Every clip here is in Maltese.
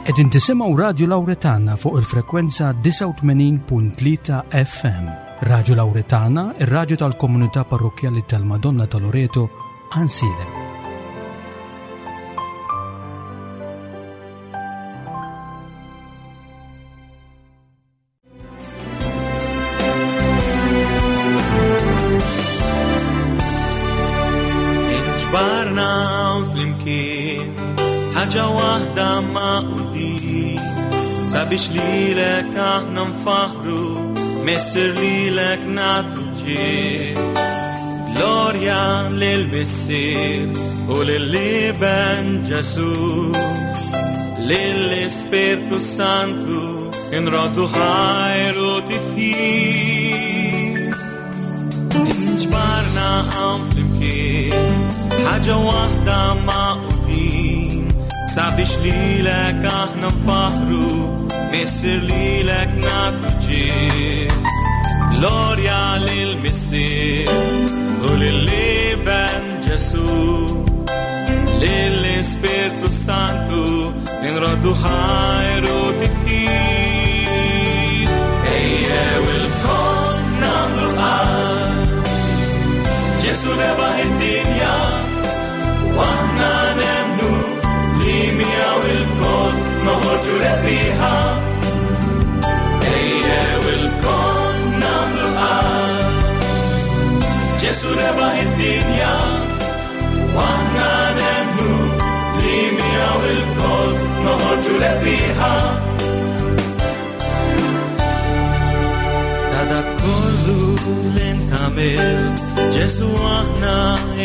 Qegħdin tisimgħu Radju Lawretana fuq il-frekwenza 89.3 FM. Radju Lawretana, ir-radju tal-komunità parrokkjali tal-Madonna ta' Loreto, Ansilem. Inġbarna flimkien ħaġa waħda maqudin sabiex lilek aħna nfaħru Missir lilek nagħtu ġieħ. Glorja lil Missier u lill-Iben Ġesu lill-Ispirtu Santu inroddu ħajr u tifħir. Inġbarna hawn flimkien, ħaġa waħda maqudin, sabiex lilek aħna nfaħru, Missier lilek nagħtu ġieħ. Glorja lil Missier u lill-Iben Ġesu, lill-Ispirtu Santu inroddu ħajr u tifħir. Ejjew ilkoll nagħmlu qalb, Ġesu rebaħ id-dinja, u aħna nemmnu li miegħu ilkoll noħorġu rebbieħa. Ejjew ilkoll nagħmlu qalb, Ġesu rebaħ id-dinja, u aħna nemmnu li miegħu ilkoll noħorġu rebbieħa. Ta' dak kollu li ntagħmel, Ġesu aħna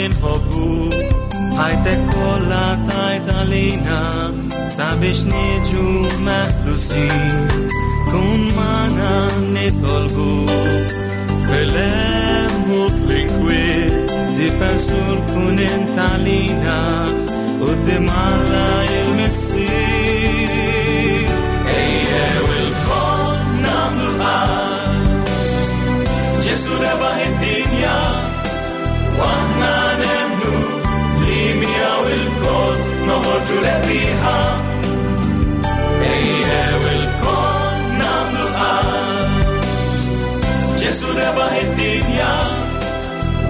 inħobbu, ħajtek kollha tajt għalina sabiex niġu meħlusin. Kun magħna nitolbu fil-hemm u fl-inkwiet, difensur kun int għalina quddiem Alla il-Missier. Ejjew ilkoll nagħmlu qalb, Ġesu rebaħ id-dinja, u aħna nemmnu li miegħu ilkoll noħorġu rebbieħa. Ejjew ilkoll nagħmlu qalb, Ġesu rebaħ id-dinja,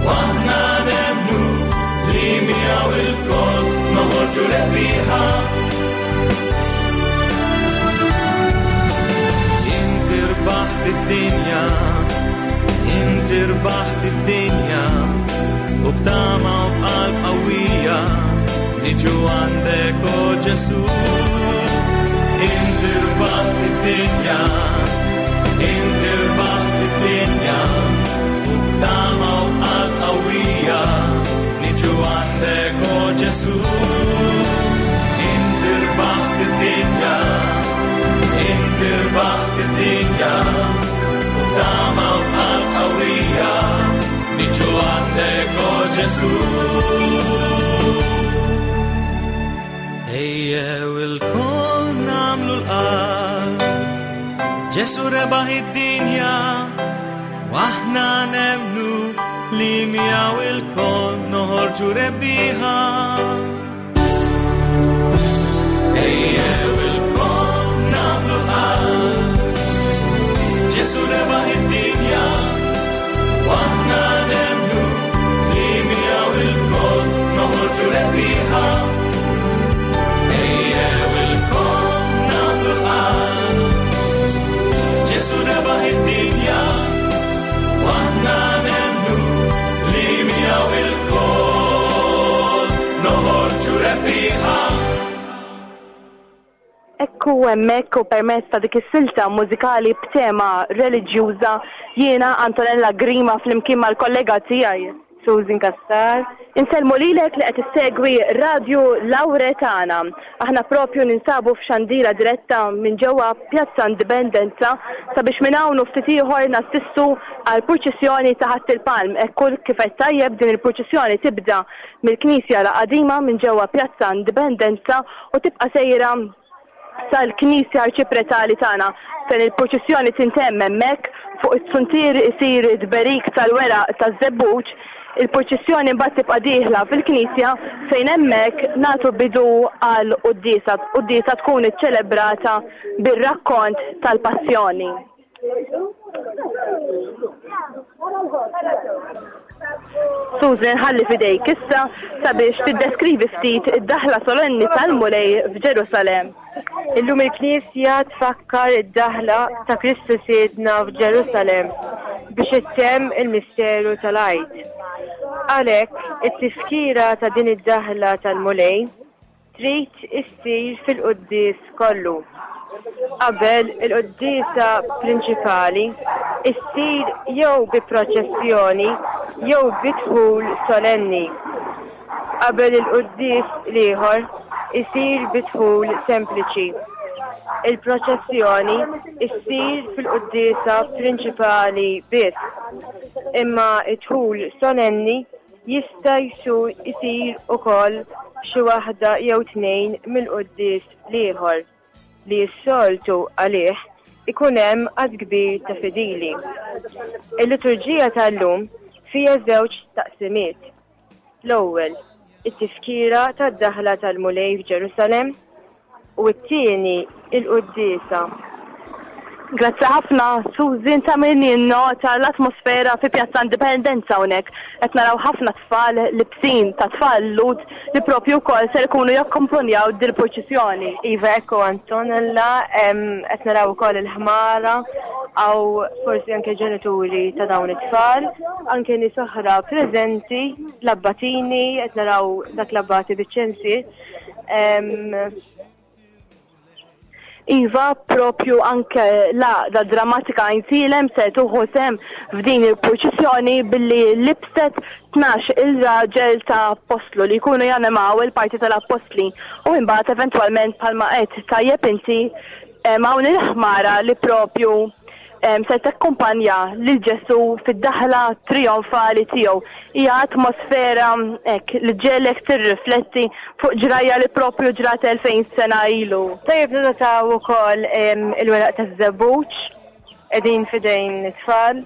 u aħna nemmnu li miegħu ilkoll noħorġu rebbieħa. Inti rbaħt id-dinja, inti rbaħt id-dinja, u b'tama u b'qalb qawwija niġu għandek o Ġesu. Inti rbaħt id-dinja, inti rbaħt id-dinja, u b'tama u b'qalb qawwija niġu għandek o Ġesu. Inti rbaħt id-dinja, inti rbaħt id-dinja, u b'tama u b'qalb qawwija niġu għandek o Ġesu. Ejjew ilkoll nagħmlu l-qalb, Ġesu rebaħ id-dinja, u aħna nemmnu li miegħu ilkoll noħorġu rebbieħa. Ejjew ilkoll nagħmlu l-qalb, Ġesu rebaħ id-dinja, u aħna nemmnu li miegħu ilkoll noħorġu rebbieħa. Ejjew ilkoll nagħmlu l-qalb, Ġesu rebaħ id-dinja, u aħna nemmnu li miegħu ilkoll noħorġu rebbieħa. Ekku hemmhekk u permezz ta' dik is-silta mużikali b'tema reliġjuża jiena Antonella Grima flimkien mal-kollega tiegħi Susan Cassar. Insellmu lilek li qed issegwi Radju Lawretana. Aħna propju ninsabu f'xandira diretta minn ġewwa Pjazza Indipendenza sabiex minn hawn u ftit ieħor nassistu għal purċissjoni ta' Ħadd il-Palm. Hekk kif qed tajjeb din il-purċissjoni tibda mill-Knisja la Qadima minn ġewwa Pjazza Indipendenza u tibqa' sejra sal-Knisja Arċipretali tagħna fejn il-purċissjoni tintemm hemmhekk fuq is-suntier isir it-tberik tal-weraq taż-żebbuġ. Il-purċissjoni mbagħad tibqa' dieħla fil-Knisja fejn hemmhekk nagħtu bidu għal quddiesa. Quddiesa tkun iċċelebrata bir-rakkont tal-Passjoni. Susan ħalli fidejk issa sabiex tiddeskrivi ftit id-daħla solenni tal-Mulej f'Ġerusalemm. Illum il-Knisja tfakkar id-daħla ta' Kristu Sidna f'Ġerusalemm biex ittemm il-misteru tal-Għid. Għalhekk, it-tifkira ta' din id-daħla tal-Mulej trid issir fil-quddies kollu. Qabel il-quddiesa prinċipali issir jew bi proċessjoni jew bi dħul solenni. Qabel il-quddies l-ieħor isir bi dħul sempliċi. Il-proċessjoni issir fil-quddiesa prinċipali biss, imma d-dħul solenni Jista' jsir ukoll f'xi waħda jew tnejn mill-quddies l-ieħor, li s-soltu għalih ikun hemm għadd kbir ta' fidili. Il-liturġija tal-lum fiha żewġ taqsimiet. L-ewwel, it-tifkira tad-daħla tal-Mulej f'Ġerusalemm, U t-tieni, il-quddiesa. Grazzi ħafna, Susan, ta' min jinnota l-atmosfera fi Pjazza Indipendenza hawnhekk. Qed naraw ħafna tfal libsin ta' tfal Lhud li propju wkoll ser ikunu jakkumpanjaw dil-purċissjoni. Iva, ekku Antonella, qed naraw ukoll il-ħmara, hawn forsi anke ġenituri ta' dawn it-tfal, anke nies oħra preżenti, l-abbatini, qed naraw dak l-abbati biċ-ċensier. Iva, propju anke l-għaqda drammatika Għajnsielem se tuħu sehem f'din il-purċissjoni billi libset 12 il-raġel ta' appostlu li jkunu janimaw il-parti tal-appostli u imbagħad eventwalment bħalma qed tajjeb inti hawn il-ħmara li propju se takkumpanja lil Ġesù fid-daħla trijonfali tiegħu. Hija atmosfera hekk li ġġegħlek tirrifletti fuq ġrajja li propju ġrat 2000 sena ilu. Tajjeb ninnotaw ukoll il-weraq taż-żebbuġ qegħdin f'idejn it-tfal.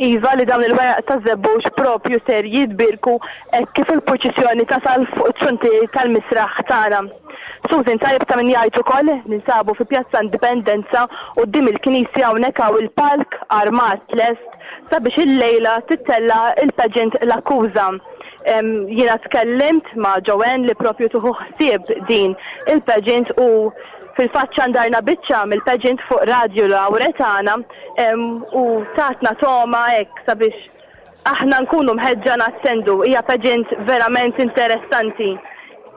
Iva li dawn il-weraq taż-żebbuġ propju ser jitbierku hekk kif il-purċissjoni tasal fuq it-truntier tal-misraħ tagħna. Susan tajjeb ta' min jgħid ukoll ninsabu fi Pjazza Indipendenza quddiem il-Knisja hawnhekk hawn il-palk armat lest sabiex illejla tittella' il-pageant L-Akkuża. Jiena tkellimt ma' Joanne li propju tieħu ħsieb din il-pageant u fil-fatt xandarna biċċa mill-pageant fuq Radju Lawretana u tatna togħma hekk sabiex aħna nkunu mħeġġa nattendu. Hija pageant verament interessanti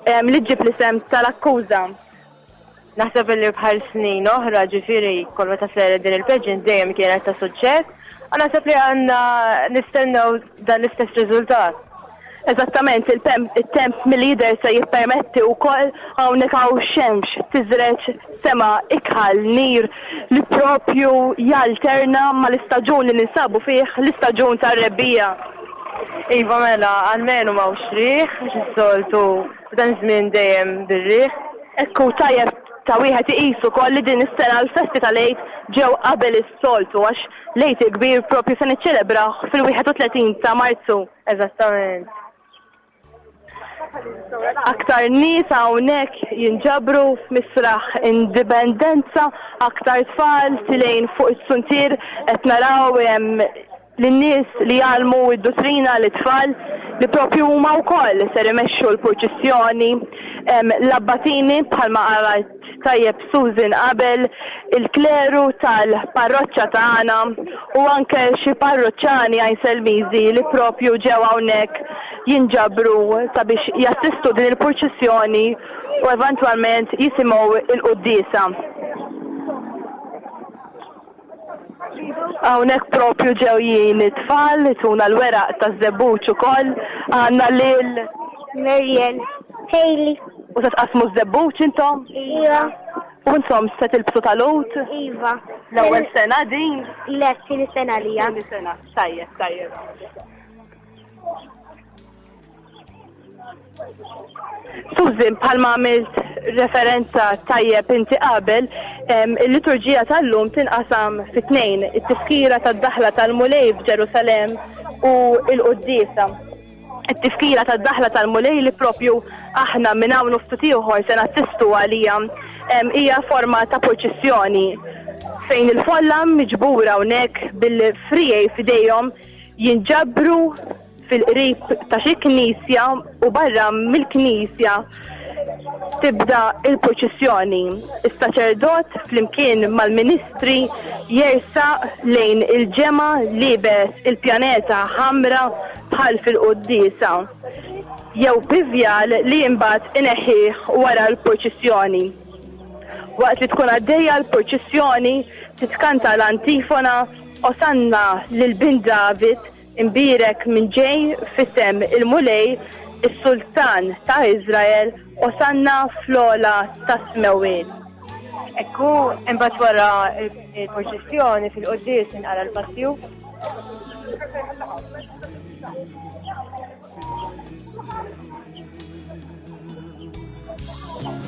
li ġġib l-isem tal-akkuża. Naħseb li bħal snin oħra ġifieri kull meta saret din il-pageant dejjem kienet ta' suċċess u naħseb li għandna nistennew dan l-istess riżultat. Eżattament, it-temp mill-jidher se jippermetti wkoll hawnhekk hawn xemx tiżreġ sema ikħal nir li propju jalterna mal-istaġun li ninsabu fih, l-istaġun tar-rebbiegħa. Iva mela, almenu m'hawnx riħ, għax is-soltu f'dan iż-żmien dejjem bir-riħ. Ekku tajjeb ta' wieħed iqis ukoll li din is-sena l-festi tal-Għid ġew qabel is-soltu għax l-Għid il-Kbir propju se niċċelebrawh fil-31 ta' Marzu. Eżattament. Aktar nies hawnhekk jinġabru f'Misraħ Indipendenza, aktar tfal tilgħin fuq is-suntier qed naraw lin-nies li jgħallmu d-duttrina lit-tfal li propju huma wkoll ser imexxu l-purċissjoni. L-abbatini bħalma qalet tajjeb Susan qabel, il-kleru tal-parroċċa tagħna u anke xi parroċċani Għajnselmiżi li propju ġew hawnhekk jinġabru sabiex jassistu din il-purċissjoni u eventwalment jisimgħu il-quddiesa. Hawnhekk propju ġewjin it-tfal ituna l-weraq taż-żebbuġ ukoll. Għandna lil Muriel. Hailey. U se tqassmu ż-żebbuġ intom? Iva. U intom se tilbsu tal-għud? Iva. L-ewwel sena din? Le, tieni sena lija. Tieni sena. Tajjeb, tajjeb. Susan, bħalma għamilt referenza tajjeb inti qabel, il-liturġija tal-lum tinqasam fi tnejn, it-tifkira tad-daħla tal-Mulej f'Ġerusalemm u l-quddiesa. It-tifkira tad-daħla tal-Mulej li propju aħna minn hawn u ftit ieħor se nassistu għalija hija forma ta' purċissjoni fejn il-folla miġbura hawnhekk bil-frijej f'idejhom jinġabru fil-qrib ta' xi knisja u barra mill-knisja tibda il-purċissjoni. Is-saċerdot flimkien mal-ministri jersaq lejn il-ġemgħa liebes il-pjaneta ħamra bħal fil-quddiesa jew pivjal li imbagħad ineħħih wara l-purċissjoni. Waqt li tkun għaddejja l-purċissjoni titkanta l-antifona Osanna lil bin David Imbierek min ġej f'isem il-Mulej, is-Sultan ta' Iżrael, Osanna fl-ogħla tas-smewwiet. Hekk hu, imbagħad wara l-purċissjoni fil-quddies inqara l-passju.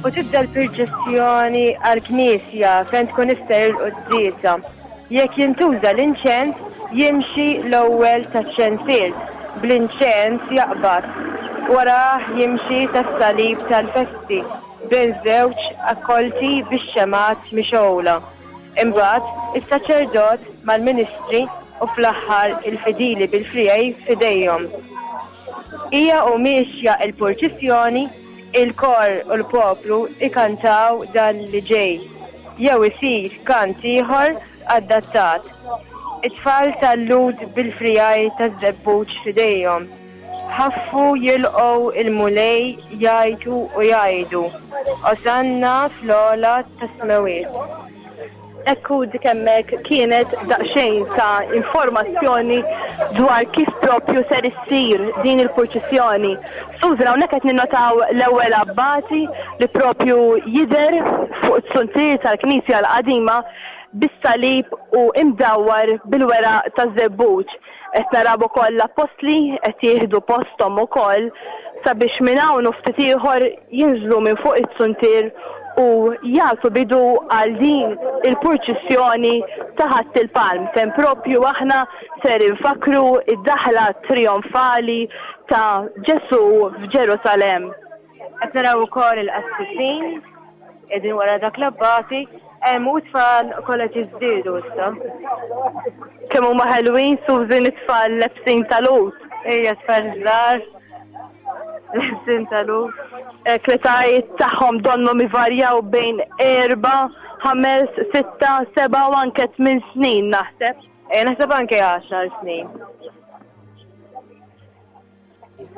U tibda l-purċissjoni għall-knisja fejn tkun issir il-quddiesa. Jekk jintuża l-inċens, jimxi l-ewwel taċ-ċensier, bl-inċens jaqbad. Warah jimxi tas-salib tal-festi bejn żewġ akkolti bix-xemgħat mixgħula. Imbagħad, is-saċerdot mal-ministri u fl-aħħar il-fidili bil-friegħi f'idejhom. Hija u miexja l-purċissjoni, il-kor u l-poplu jkantaw dan li ġej, jew isir kant ieħor adattat. It-tfal tal-Lhud bil-friegħi taż-żebbuġ f'idejhom, ħaffu jilqgħu l-Mulej jgħajtu u jgħidu, Osanna fl-ogħla tas-smewwiet. Hekk hu dik hemmhekk kienet daqsxejn ta' informazzjoni dwar kif propju ser issir din il-purċissjoni. Susan hawnhekk qed ninnotaw l-ewwel abbati li propju jidher fuq it-suntier tal-Knisja l-qadima bis-salib u imdawwar bil-weraq taż-żebbuġ. Qed naraw ukoll l-appostli qed jieħdu posthom ukoll sabiex minn hawn u ftit ieħor jinżlu minn fuq it-suntier u jagħtu bidu għal din il-purċissjoni ta' Ħadd il-Palm fejn propju aħna ser infakkru d-daħla trijonfali ta' Ġesù f'Ġerusalemm. Qed naraw ukoll il-qassisin qegħdin wara dak l-abbati hemm u tfal kollha jiżdiedu issa. Kemm huma ħelwin Susan it-tfal lebsin tal-ut. Ejja tfal żgħar lebsin tal-ut. L-etajiet tagħhom donnhom ivarjaw bejn erba', ħames, sitta, seba' u anke tmien snin naħseb. Ejja naħseb anke għaxar snin.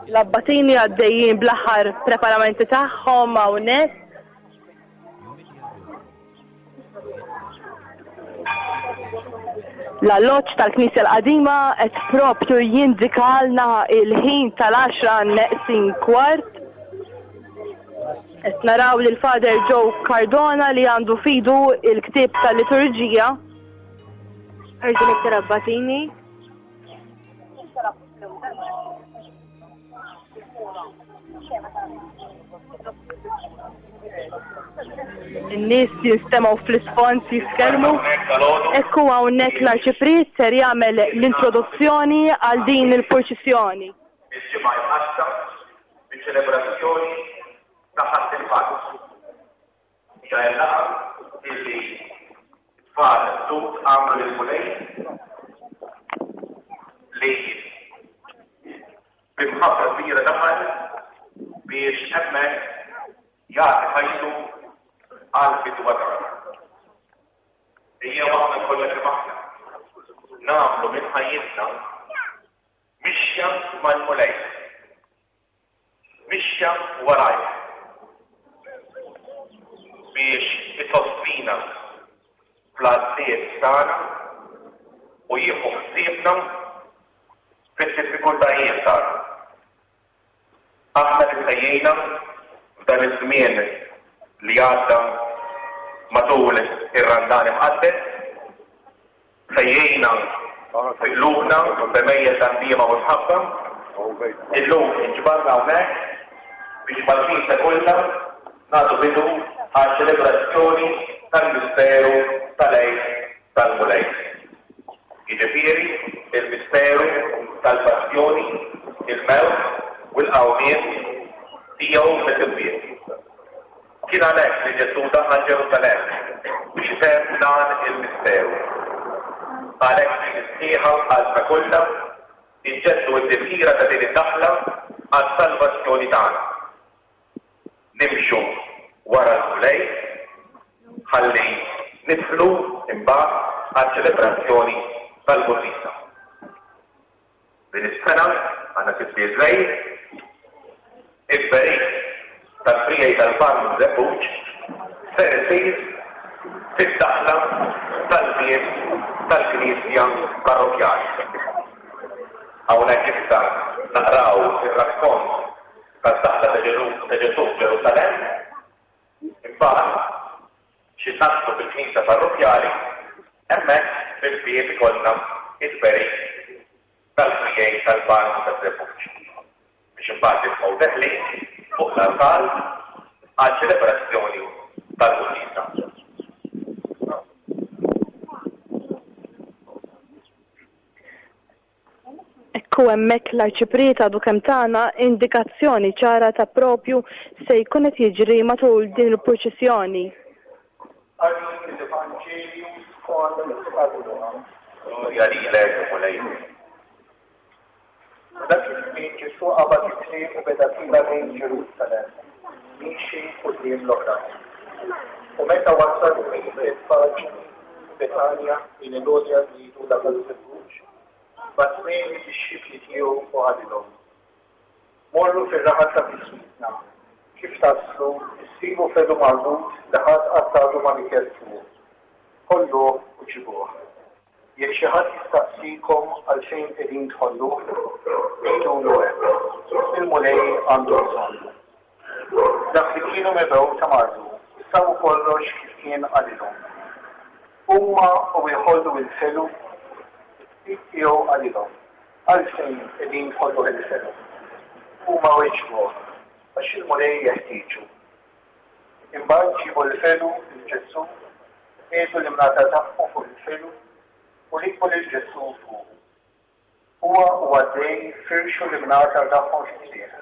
L-abbatini għaddejjin bl-aħħar preparamenti tagħhom hawnhekk. L-alloġġ tal-Knisja l-Qadima qed propju jindikalna il-ħin tal-10 neqsin kwart. Qed naraw lil Father Joe Cardona li għandu fidu il-ktieb tal-liturġija. Ħarġu l-iktar abbatini. In-nies jinstemgħu fl-isfond jitkellmu. Ekku hawnhekk l-Arċipriet ser jagħmel l-introduzzjoni għal din il-purċissjoni. Il-ġimgħa imqaddsa biċ-ċelebrazzjoni ta' Ħadd il-Palm. Hija l-laqgħa illi t-tfal Lhud għamlu lill-Mulej li bi mħabba kbira daħal biex hemmhekk jagħti ħajtu għall-fidwa tagħna. Ejjew aħna kollha kemm aħna nagħmlu minn ħajjitna mixja mal-Mulej. Mixja warajh biex isostnina fl-għażliet tagħna u jieħu ħsiebna fid-diffikultajiet tagħna. Aħna li tħejjejna f'dan iż-żmien li għadda matul ir-Randan Imqaddes, Ħejjejna fi qlubna b'għemejjel ta' ndiema u mħabba. Illum inġbarna hawnhekk biex mal-Knisja kollha nagħtu bidu għaċ-ċelebrazzjoni tal-misteru tal-Għid tal-Mulej. Jiġifieri il-misteru tal-passjoni, il-mewt u l-qawmien tiegħu mill-imwiet. Kien għalhekk li Ġesù daħal Ġerusalemm biex itemm dan il-misteru. Għalhekk b'fidi sħiħa u b'qalbna kollha, inġeddu t-tifkira ta' din id-daħla għas-salvazzjoni tagħna. Nimxu wara l-Mulej ħalli nidħlu imbagħad għaċ-ċelebrazzjoni tal-Quddiesa. Din is-sena għandna tibdil żgħir, it-tberik tal-friegħi tal-palm żebbuġ ser isir fid-daħla tal-bieb tal-knisja parrokkjali. Hawnhekk issa naqraw ir-rakkont tad-daħla ta' Ġesù f'Ġerusalemm. Imbagħad, xi naslu fil-knisja parrokkjali, hemmhekk fil-bieb ikollna t-tberik tal-friegħi tal-palm u taż-żebbuġ, biex imbagħad nibqgħu deħlin fuq l-artal għaċ-ċelebrazzjoni tal-quddiesa. Ekku hemmhekk l-Arċipriet għadu kemm tana indikazzjoni ċara ta' propju se jkun qed jiġri matul din il-purċissjoni. Qari mill-Evanġelju skont San Luqa. Glorja lilek, Mulej. F'dak iż-żmien Ġesù qabad it-triq u beda tiela' lejn Ġerusalemm, miexi quddiem l-oħrajn. U meta wasal ħdejn Betfaġ u Betanja, lejn il-għolja li jgħidulha taż-Żebbuġ, bagħat tnejn mid-dixxipli tiegħu u qalilhom, Morru fir-raħal ta' biswitna. Kif taslu, issibu fedu marbut li ħadd qatt għadu ma rikeb fuqu. Ħolluh u ġibuh. Jekk xi ħadd jistaqsikom għalfejn qegħdin tħolluh, għidulu hekk, 'Il-Mulej għandu bżonnu. Dak li kienu mibgħuta marru u sabu kollox kif kien qalilhom. Huma u jħollu l-felu, is-sid tiegħu qalilhom, Għalfejn qegħdin tħolluh il-felu? Huma weġbuh, Għax il-Mulej jeħtieġu. Imbagħad ġiebu l-felu lil Ġesù, qiegħdu l-imrata tagħhom fuq il-felu u rikbu lil Ġesù fuqu. Huwa u għaddej firxu l-imnatar tagħhom fit-triq.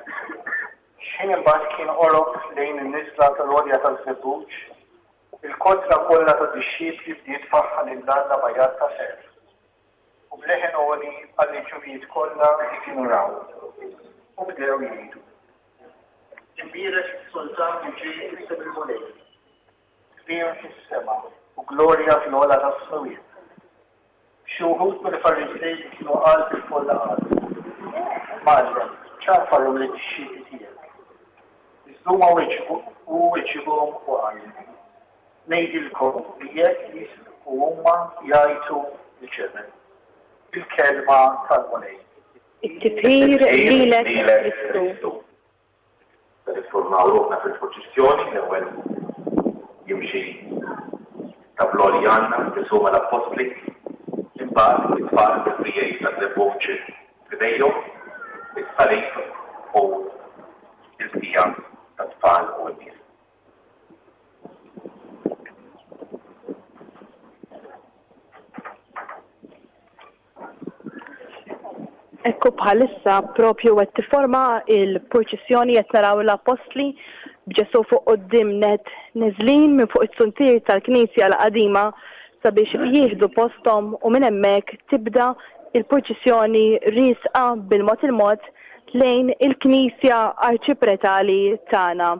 X'ħin imbagħad kien qorob lejn in-niżla tal-Għolja taż-Żebbuġ, il-kotra kollha tad-dixxipli bdiet tfaħħar lil Alla b'għajat ta' ferħ u b'leħen għoli għall-għeġubijiet kollha li kienu raw, u bdew jgħidu, Imbierek is-Sultan li ġej f'isem il-Mulej! Sliem fis-sema u glorja fl-ogħla tas-smewwiet. Xi wħud mill-Fariżej li kienu qalb il-folla qalu, Mgħallem, ċanfarhom lid-dixxipli tiegħek. Iżda huma weġbu, hu weġibhom u qal, Ngħidilkom li jekk jisbqu huma jgħajtu l-ġebel. Il-kelma tal-Mulej. It-tifħir lilek Kristu. Se niffurmaw ruħna fil-purċissjoni, l-ewwel jimxi tablò li għandna, Ġesù mal-Appostli, imbagħad it-tfal bil-friegħi taż-żebbuġ f'idejhom, is-salib u l-bqija tat-tfal u n-nies. Ekku bħalissa propju qed tifforma il-purċissjoni qed naraw l-appostli b'Ġesù fuq quddiem net neżlin minn fuq it-suntier tal-Knisja l-qadima sabiex jieħdu posthom u minn hemmhekk tibda il-purċissjoni riesqa bil-mod il-mod lejn il-Knisja Arċipretali tagħna.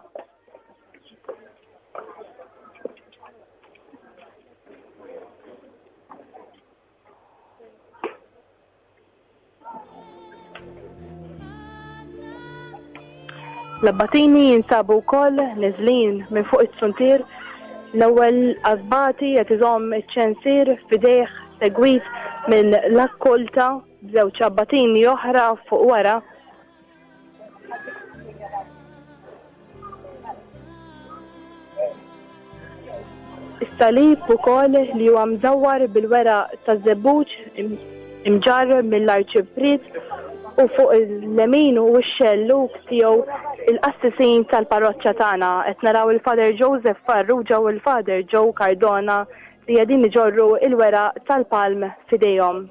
L-abbatini jinsabu wkoll neżlin minn fuq it-suntier. L-ewwel abbati qed iżomm iċ-ċensier f'idejh segwit minn l-akkolta b'żewġ abbatini oħra fuq wara. Is-salib ukoll li huwa mdawwar bil-weraq taż-żebbuġ imġarr mill-Arċipriet u fuq il-lemin u x-xellug tiegħu il-qassisin tal-parroċċa tagħna. Qed naraw il-Father Joseph Farrugia u l-Father Joe Cardona li qegħdin iġorru il-weraq tal-palm f'idejhom.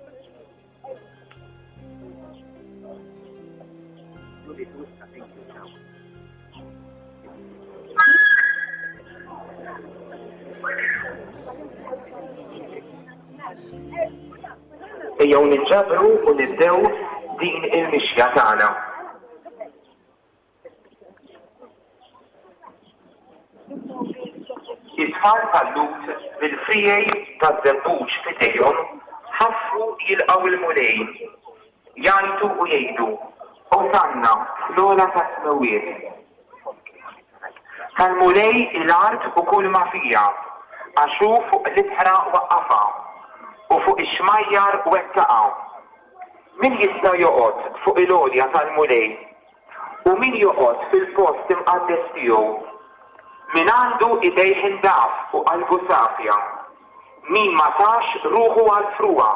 Ejjew ninġabru u nibdew din il-mixja tagħna. It-tfal tal-Lhud bil-friegħi taż-żebbuġ f'idejhom ħaffu jilqgħu l-Mulej, jgħajtu u jgħidu, Osanna fl-ogħla tas-smewwiet. Tal-Mulej hi l-art u kulma fiha, għax hu fuq l-ibħra waqqafha, u fuq ix-xmajjar wettaqha. Min jista' joqgħod fuq il-għolja tal-Mulej? U min joqgħod fil-post imqaddes tiegħu? Min għandu idejh indaf u qalbu safja, min ma tax ruħu għall-frugħa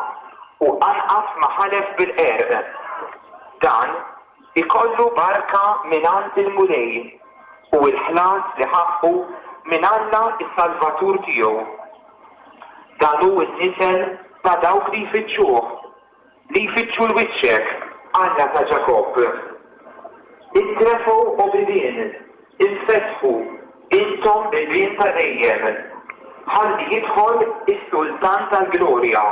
u anqas ma ħalef bil-qerq, dan ikollu barka mingħand il-Mulej u l-ħlas li ħaqqu minn Alla s-Salvatur tiegħu. Dan hu n-nisel ta' dawk li jfittxuh, Li jfittxu 'l wiċċek, Alla ta' Ġakobb. Intrefgħu, o bibien, infetħu, intom bibien ta' dejjem, ħalli jidħol is-Sultan tal-glorja.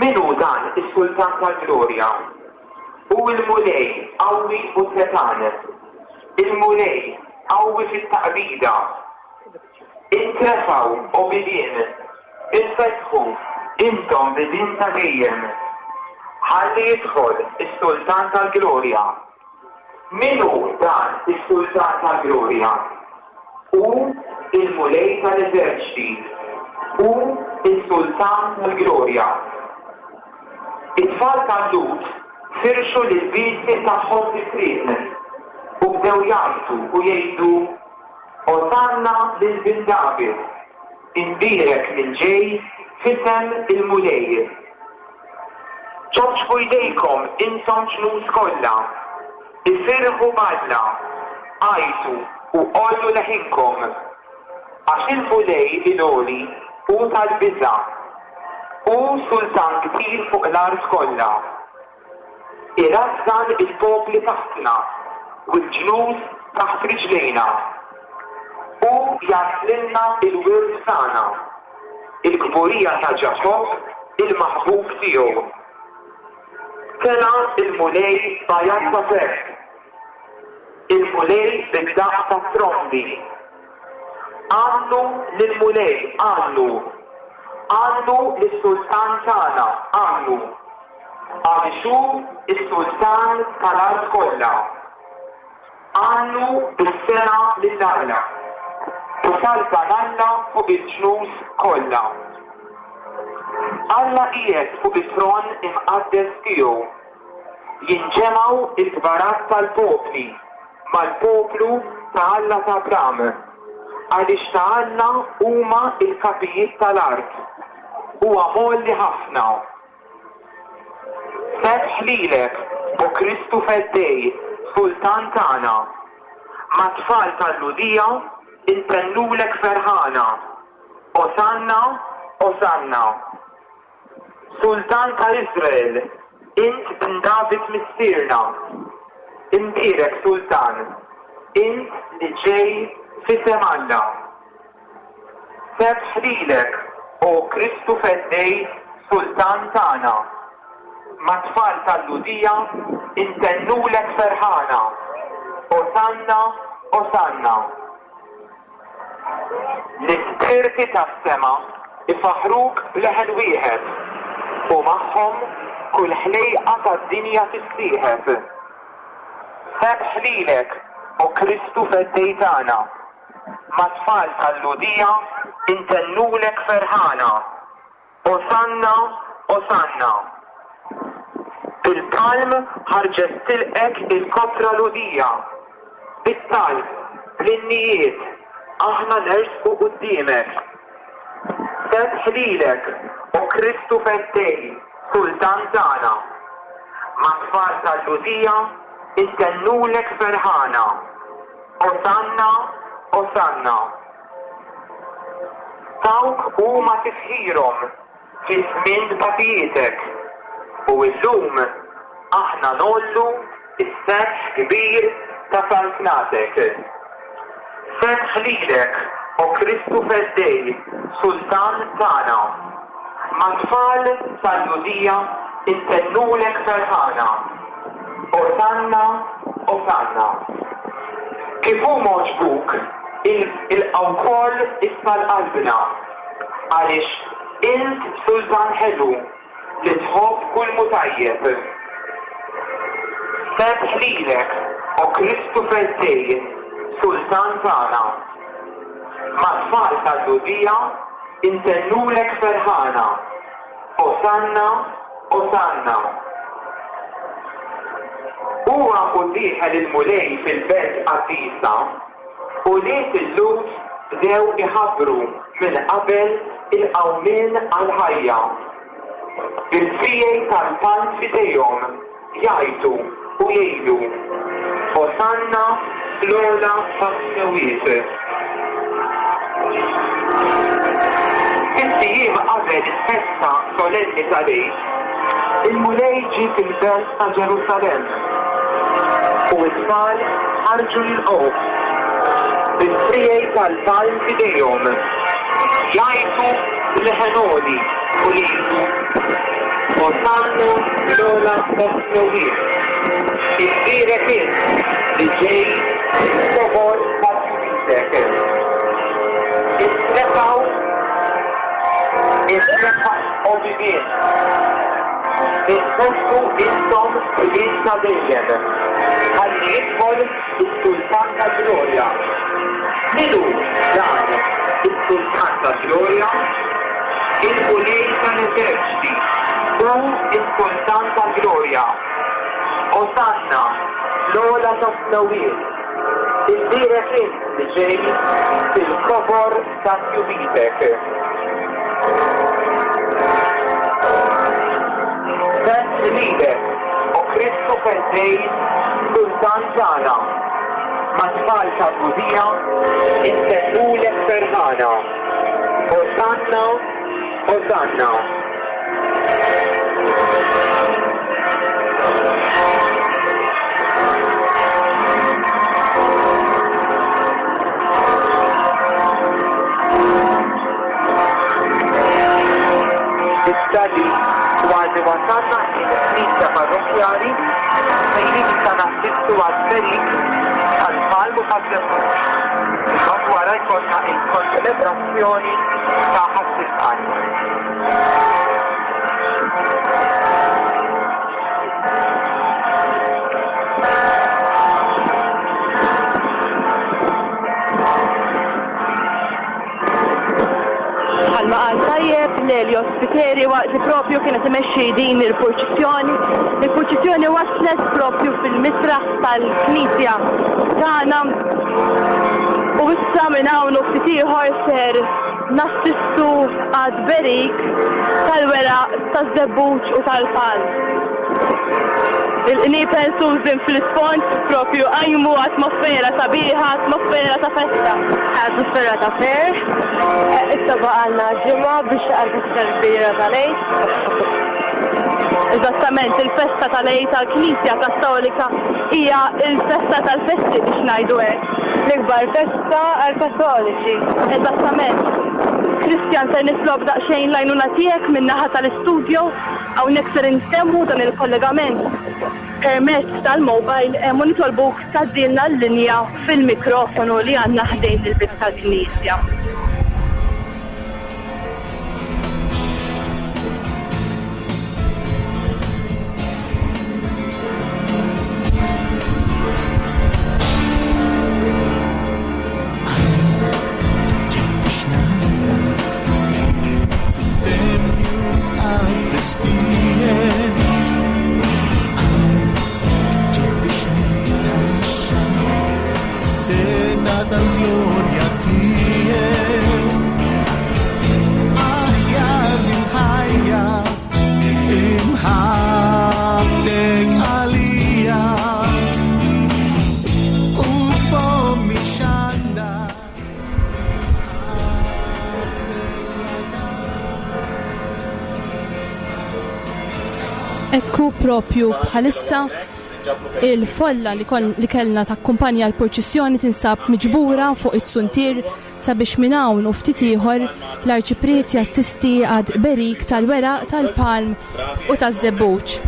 Min hu dan is-Sultan tal-glorja? Hu l-Mulej qawwi u setgħan, il-Mulej qawwi fit-taqbida. Intrefgħu, o bibien, infetħu, intom bibien ta' dejjem. Ħalli jidħol is-Sultan tal-glorja. Min hu dan is-Sultan tal-glorja? Hu l-Mulej tal-eżerċti, hu s-Sultan tal-glorja. It-tfal tal-Lhud firxu l-ilbiesi tagħhom fit-triq u bdew jgħajtu u jgħidu, Osanna lil Bin David, imbierek min ġej f'isem il-Mulej. Ċapċpu jdejkom intom ġnus kollha, ifirħu b'Alla, għajtu u għollu leħinkom. Għax il-Mulej il-Għoli hu tal-biża', hu sultan kbir fuq l-art kollha. Irażżan il-popli taħtna u l-ġnus taħt riġlejna. Hu jagħżlilna l-wirt tagħna, il-kburija ta' Ġakobb il-maħbub tiegħu. Tela' l-Mulej b'għajat ta' ferħ, il-Mulej bid-daqq tat-trombi. Għannu lill-Mulej, għannu! Għannu lis-Sultan tagħna, għannu! Għaliex hu s-Sultan tal-art kollha. Għannu bis-sengħa lil Alla, u saltan Alla fuq il-ġnus kollha. Alla qiegħed fuq it-tron imqaddes tiegħu. Jinġemgħu l-kbarat tal-popli mal-poplu ta' Alla ta' Abram, għaliex ta' Alla huma l-kapijiet tal-art. Huwa mgħolli ħafna. Sebħ lilek, o Kristu Feddej, Sultan tagħna. Mat-tfal tal-Lhudija ntennulek ferħana, Osanna, Osanna. Sultan ta' Iżrael, int bin David missierna. Imbierek Sultan, int li ġej f'isem Alla. Sebħ lilek, O Kristu Feddej, Sultan tagħna. Mat-tfal tal-Lhudija ntennulek ferħana, Osanna, Osanna. L-ispirti tas-sema jfaħħruk b'leħen wieħed, u magħhom kull ħlejqa tad-dinja tissieħeb. Sebħ lilek, O Kristu Feddej tagħna. Mat-tfal tal-Lhudija ntennulek ferħana, Osanna, Osanna. Bil-palm ħarġet tilqgħek il-kotra Lhudija, bit-talb, bl-innijiet, aħna nersqu quddiemek. Sebħ lilek, O Kristu Feddej, Sultan tagħna. Mat-tfal tal-Lhudija ntennulek ferħana. Osanna, Osanna. Tawk huma tifħirhom fi żmien tbatijietek, u illum aħna ngħollu s-sebħ kbir ta' saltnatek. Sebħ lilek, o Kristu Feddej, Sultan tagħna. Mat-tfal tal-Lhudija. Intennulek ferħana. Osanna, Osanna. Kif hu m'għoġbuk, ilqa' wkoll issa l-qalbna, għaliex int sultan ħelu li tħobb kull m'hu tajjeb. Sebħ lilek, o Kristu Feddej, Sultan tagħna. Mat-tfal tal-Lhudija intennulek ferħana. Osanna, Osanna. Huwa u dieħel il-Mulej fil-belt qaddisa, ulied il-Lhud bdew iħabbru minn qabel il-qawmien għall-ħajja. Bil-friegħi tal-palm f'idejhom, jgħajtu u jgħidu, Osanna fl-ogħla tas-smewwiet. Sitt ijiem qabel il-festa solenni tal-Għid, il-Mulej ġie fil-belt ta' Ġerusalemm, u t-tfal ħarġu jilqgħuh, bil-friegħi tal-palm f'idejhom, jgħajtu b'leħen għoli u jgħidu, Osanna fl-ogħla tas-smewwiet. Imbierek int li ġej fil-kobor ta' tjubitek. Intrefgħu, intrefgħu, o bibien. Infetħu intom bibien ta' dejjem, ħalli jidħol is-Sultan tal-glorja. Min hu dan is-Sultan tal-glorja? Il-Mulej tal-eżerċti, hu s-Sultan tal-glorja. Osanna, fl-ogħla tas-smewwiet. Imbierek int li ġej fil-kobor ta' tjubitek. Sebħ lilek, o Kristu Feddej, Sultan tagħna. Mat-tfal tal-Lhudija intennulek ferħana. Osanna, Osanna. Issa li kważi wasalna il-Knisja Parrokkjali fejn issa nassistu għat-tberik tal-palm u taż-żebbuġ. Imbagħad wara jkollna il-konċelebrazzjoni ta' Ħadd il-Palm. Bħalma qal tajjeb Lelio Spiteri waqt li propju kienet imexxi din il-purċissjoni. Il-purċissjoni waslet propju fil-misraħ tal-Knisja tagħna u issa minn hawn u ftit ieħor ser nassistu għat-tberik tal-weraq taż-żebbuġ u tal-palm. Il-qniepen Susan fl-isfond propju qajmu atmosfera sabiħa, atmosfera ta' festa. Atmosfera ta' ferħ. Issa baqgħalna ġimgħa biex għall-festa l-kbira tal-Għid. Eżattament, il-festa tal-Għid tal-Knisja Kattolika hija l-festa tal-festi biex ngħidu hekk. L-ikbar festa għall-Kattoliċi. Eżattament. Christian ser nitlob daqsxejn l-għajnuna tiegħek min-naħa tal-istudio. Hawnhekk ser intemmu dan il-kollegament permezz tal-mobile u nitolbuk tgħaddilna l-linja fil-mikrofonu li għandna ħdejn il-bieb tal-knisja. Ekku propju bħalissa il-folla li, li kellna takkumpanja l-purċissjoni tinsab miġbura fuq it-suntier. sabiex minn hawn u ftit ieħor l-Arċipriet jassisti għad berik tal-weraq tal-palm u taż-żebbuġ.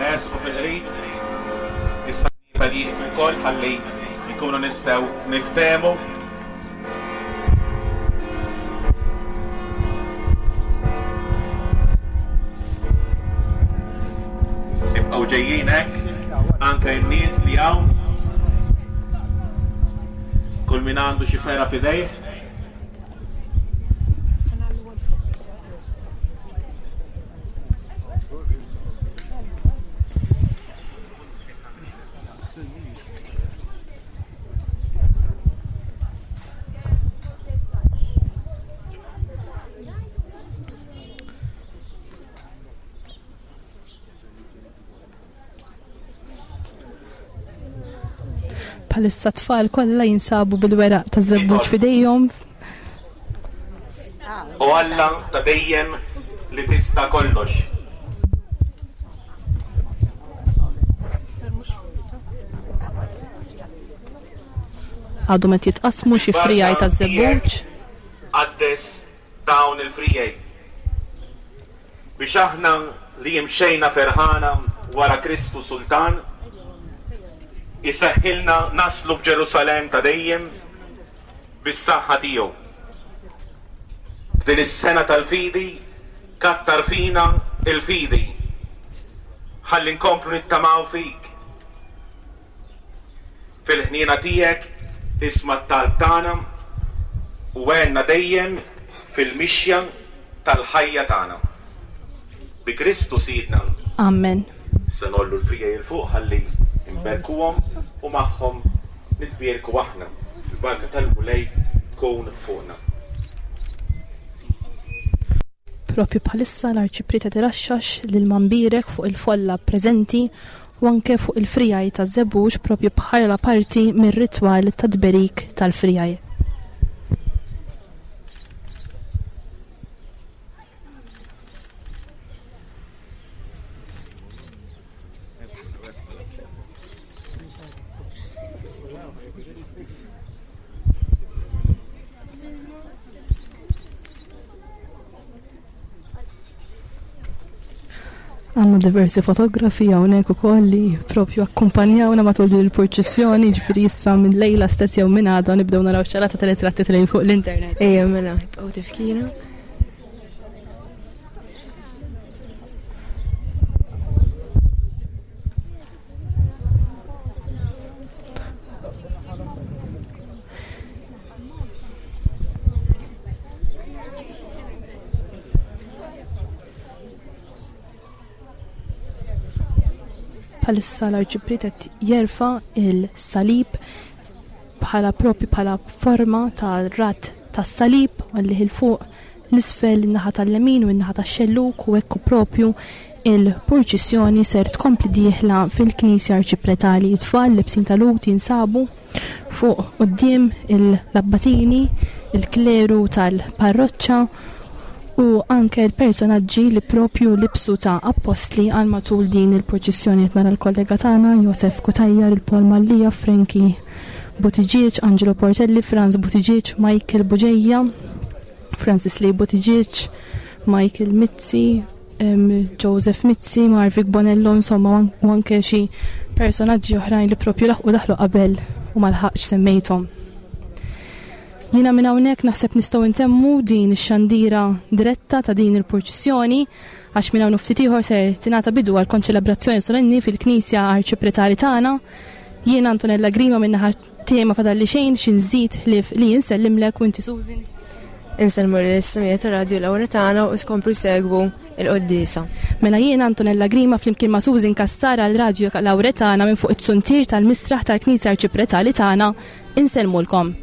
Ersqu fil-qrib, issa tal-jieqfu wkoll ħalli nkunu nistgħu niftehmu. Ibqgħu ġejjin hekk, anke n-nies li hawn. Kull min għandu xi fera f'idejh. Bħalissa tfal kollha jinsabu bil-weraq ta' żebbuġ f'idejhom. O Alla ta' dejjem li tista' kollox. Għadhom qed jitqassmu xi frijaj ta' żebbuġ. Qaddes dawn il-frijaj. Biex aħna li imxejna ferħana wara Kristu Sultan, iseħħilna naslu f'Ġerusalemm ta' dejjem bis-saħħa tiegħu. F'din is-sena tal-fidi, kattar fina l-fidi. Ħalli nkomplu nittamaw fik. Fil-ħniena tiegħek isma' t-talb tagħna u għenna dejjem fil-mixja tal-ħajja tagħna. Bi Kristu Sidna. Amen. Se ngħollu l-frijej 'il fuq ħalli nberkuhom u magħhom nitbierku aħna. Il-barka tal-Mulej tkun fuqna. Propju bħalissa l-Arċipriet qed iraxxax l-ilma mbierek fuq il-folla preżenti u anke fuq il-frijaj taż-żebbuġ propju bħala parti mir-ritwal tat-tberik tal-frijaj. Għanna diversi fotografi hawnhekk ukoll li propju akkumpanjawna matul din il-purċissjoni, ġifieri issa minn lejla stess jew minn għada nibdew naraw xarata tal-ritratti tal fuq l-internet. Ejja mela, jibqgħu tifkira. Bħalissa l-Arċipriet qed jerfa' il-salib bħala propju bħala forma ta' rat tas-salib għallih il fuq l-isfel in-naħa tal-lemin u n-naħa tax-xellug u hekk propju il-purċissjoni ser tkompli dieħla fil-Knisja Arċipretali. It-tfal lebsin tal-ut jinsabu Fuq quddiem l-abbatini, il-kleru tal-parroċċa u anke l-personaġġi li propju libsu ta' appostli għal matul din il-purċissjoni qed nara l-kollega tagħna Josef Cutajar, il-Paul Mallia, Frankie Buttigieg, Angelo Portelli, Franz Buttigieg, Michael Bugeja, Francis Lee Buttigieg, Michael Mizzi, Joseph Mizzi, Marvic Bonello, insomma, u anke xi personaġġi oħrajn li propju laħqu daħlu qabel u ma lħaqx semmejthom. Jiena minn hawnhekk naħseb nistgħu ntemmu din ix-xandira diretta ta' din il-purċissjoni għax minn hawn ftit ieħor ser tingħata bidu għal konċelebrazzjoni solenni fil-Knisja Arċipretali tagħna. Jiena Antonella Grima minn naħa Tiegħi ma fadalli xejn xi nżid ħlief li insellimlek u inti Susan. Insellmu lill-ismijiet ta' Radio Lauretana u skomplu jsegwu il-quddiesa. Mela jiena Antonella Grima flimkien ma' Susan Cassar għal Radio Lauretana minn fuq it-suntier tal-misraħ tal-Knisja Arċipretali tagħna insellmulkom.